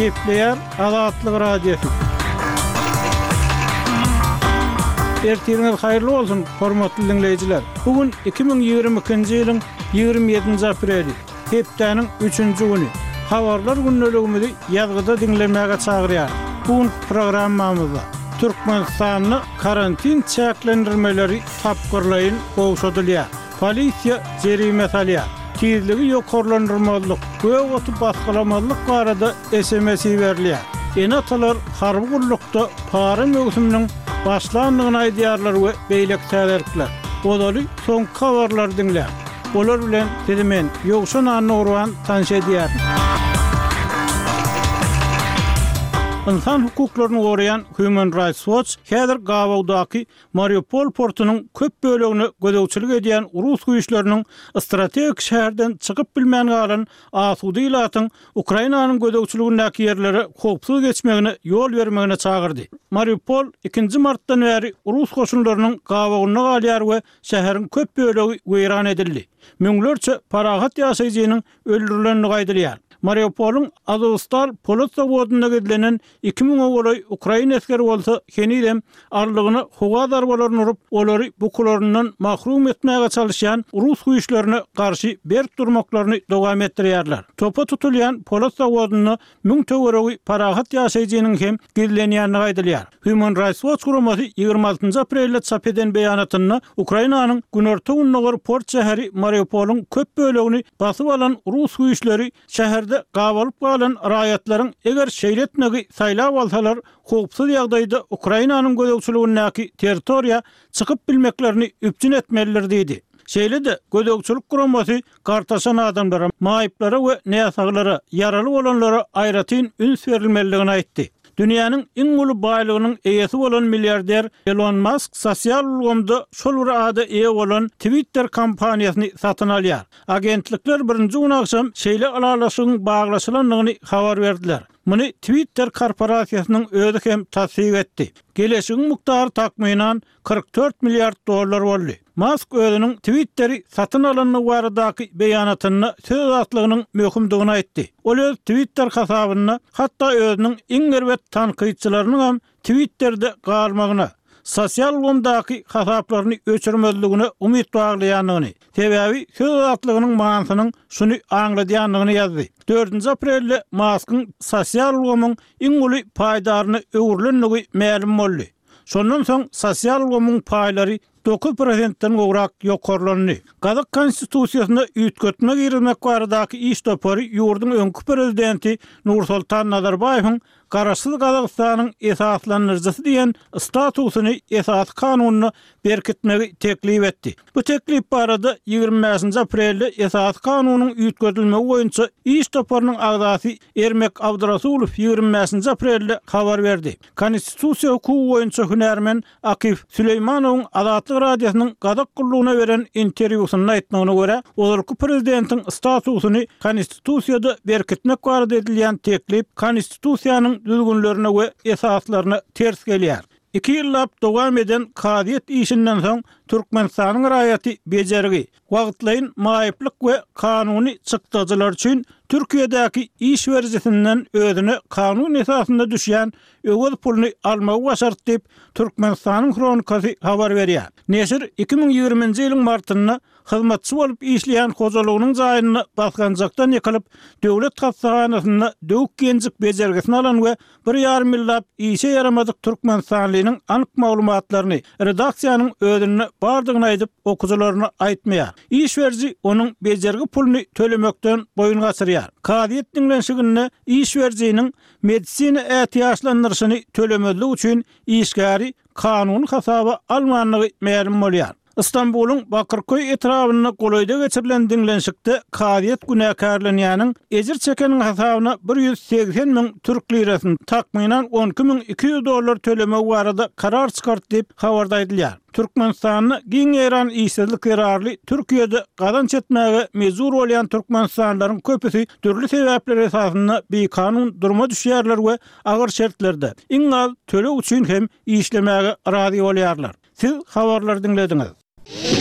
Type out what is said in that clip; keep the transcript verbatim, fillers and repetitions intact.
Gepleýär Azatlyk Radiosy. Ertiriňiz haýyrly bolsun, hormatly diňleýjiler. Bu gün iki müň ýigrimi ikinji ýylyň ýigrimi ýedinji apreli, hepdäniň üçünji güni. Habarlar gündeligimizi ýazgyda diňlemäge çagyrýar. Bu gün programmamyzda Türkmenistanda karantin çäklendirmeleri tapgyrlaýyn gowşadylýar. Polisiýa jerime salýar. Tizligi ýokarlandyrmazlyk, gök oty basgylamazlyk barada S M S iberilýär. Ene-atalar harby gullukda para möwsüminiň başlandygyny aýdýarlar we beýleki täzelikler. Ozaly soňky habarlary diňläň. Olar bilen sizi men Ýowşan Annagurban tanyş edýärin. Insan hukuklaryny goraýan Human Rights Watch häzir Gabawdaky Mariupol portunyň köp bölegine gözegçilik edýän Rus güýçleriniň strategik şäherden çykyp bilmän galan asuda ilatyň Ukrainanyň gözegçiligindäki ýerlere howpsuz geçmegine ýol bermegine çagyrdy. Mariupol ikinji martdan bäri Rus goşunlarynyň gabawynda galýar we şäheriň köp bölegi weýran edildi. Müňlerçe parahat ýaşaýjynyň öldürilendigi aýdylýar. Mariupolyň Azovstal polat zawodynda gizlenen iki müňe golaý Ukraina esgeri bolsa henizem arlygyna howa zarbalaryny urup, olary bukularyndan mahrum etmäge çalışýan Rus güýçlerine garşy berk durmaklaryny dowam etdirýärler. Topa tutulýan polat zawodynda müň töweregi parahat ýaşaýjynyň hem gizlenýändigi aýdylýar. Human Rights Watch guramasy ýigrimi altynjy aprelde çap eden beýanatynda Ukrainanyň günorta-gündogar port şäheri Mariupolyň köp bölegini basyp alan Rus güýçleri şäherde gabalyp galan raýatlaryň eger şeýle etmegi saýlap alsalar, howpsuz ýagdaýda Ukrainanyň gözegçiligindäki territoriýa çykyp bilmeklerini üpjün etmelidir diýdi. Şeýle-de gözegçilik guramasy gartaşan adamlara, maýyplara we näsaglara, ýaraly bolanlara aýratyn üns berilmelidigini aýtdy. Dünýäniň iň uly baýlygynyň eýesi bolan milliarder Elon Musk sosial ulgamda şol bir ada eýe bolan Twitter kompaniýasyny satyn alýar. Agentlikler birinji gün akşam şeýle ylalaşygyň baglaşylandygyny habar berdiler. Muny Twitter korporasiýasynyň özi hem tassyk etdi. Geleşigiň mukdary takmynan kyrk dört milliard dollar boldy. Musk özüniň Twitteri satyn alandygy baradaky beýanatynda söz azatlygynyň möhümdigini aýtdy. Ol öz Twitter hasabynda hatda özüniň iň erbet tankytçylarynyň hem Twitter'de galmagyna, sosial ulgamdaky hasaplaryny öçürmezligine umyt baglaýandygyny, sebäbi söz azatlygynyň manysynyň şuny aňladýandygyny ýazdy. Dördünji aprelde Muskyň sosial ulgamyň iň uly paýdaryna öwrülendigi mälim boldy. Şondan soň sosial ulgamyň paýlary dokuz prosentden gowrak ýokarlandy. Gazak konstitusiýasyna üýtgetme girizmek baradaky iş topary ýurduň öňki prezidenti Nursultan Nazarbaýewiň Garaşsyz Gazagystanyň esaslandyryjysy diýen statusyny esasy kanununa berkitmegi teklip etdi. Bu teklip barada ýigrimi bäşinji aprelde esasy kanunyň üýtgedilmegi boýunça iş toparynyň agzasy Ermek Abdurasulow ýigrimi bäşinji aprelde habar berdi. Konstitusiýa hukugy boýunça hünärmen Akif Süleýmanowyň Azatlyk Radiosynyň Gazak gullugyna beren interwýusynda aýtmagyna görä, ozalky prezidentiň statusyny konstitusiýada berkitmek barada edilýän teklip konstitusiýanyň düzgünlerine we esaslaryna ters gelýär. Iki ýyllap dowam eden kazyýet işinden soň Türkmenistanyň raýaty bejergi, wagtlaýyn maýyplyk we kanuny çykdajylar üçin Türkiýedäki iş berijisinden özüne kanun esasynda düşýän öwez puluny almagy başardy diýip Türkmenistanyň Hronikasy habar berýär. Neşir iki müň ýigriminji ýylyň martynda hyzmatçy bolup işleýän hojalygynyň jaýynda basgançakdan ýykylyp, döwlet hastahanasynda döwük genjik bejergisini alan we bir ýarym ýyllap işe ýaramadyk Türkmenistanlynyň anyk maglumatlaryny redaksiýanyň özünde bardygyny aýdyp okyjylaryna aýtmaýar. Iş beriji onuň bejergi puluny tölemekden boýun gaçyrýar. Kazyýet diňlenişiginde iş berijiniň medisina ätiýaçlandyryşyny tölemezlik üçin işgäri kanuny hasaba almandygy mälim bolýar. Istanbulyň Bakırköý etrabynda golaýda geçirilen diňlenişikde kazyýet günäkärlenýäniň ejir çekeniň hasabyna bir ýüz segsen müň türk lirasyny takmynan on iki müň iki ýüz dollar tölemegi barada karar çykardy diýip habarda aýdylýar. Türkmenistanda giň ýaýran işsizlik zerarly Türkiýede gazanç etmäge mejbur bolýan türkmenistanlylaryň köpüsi dürli sebäpler esasynda bikanun duruma düşýärler we agyr şertlerde iň az töleg üçin hem işlemäge razy bolýarlar. Siz habarlary diňlediňiz.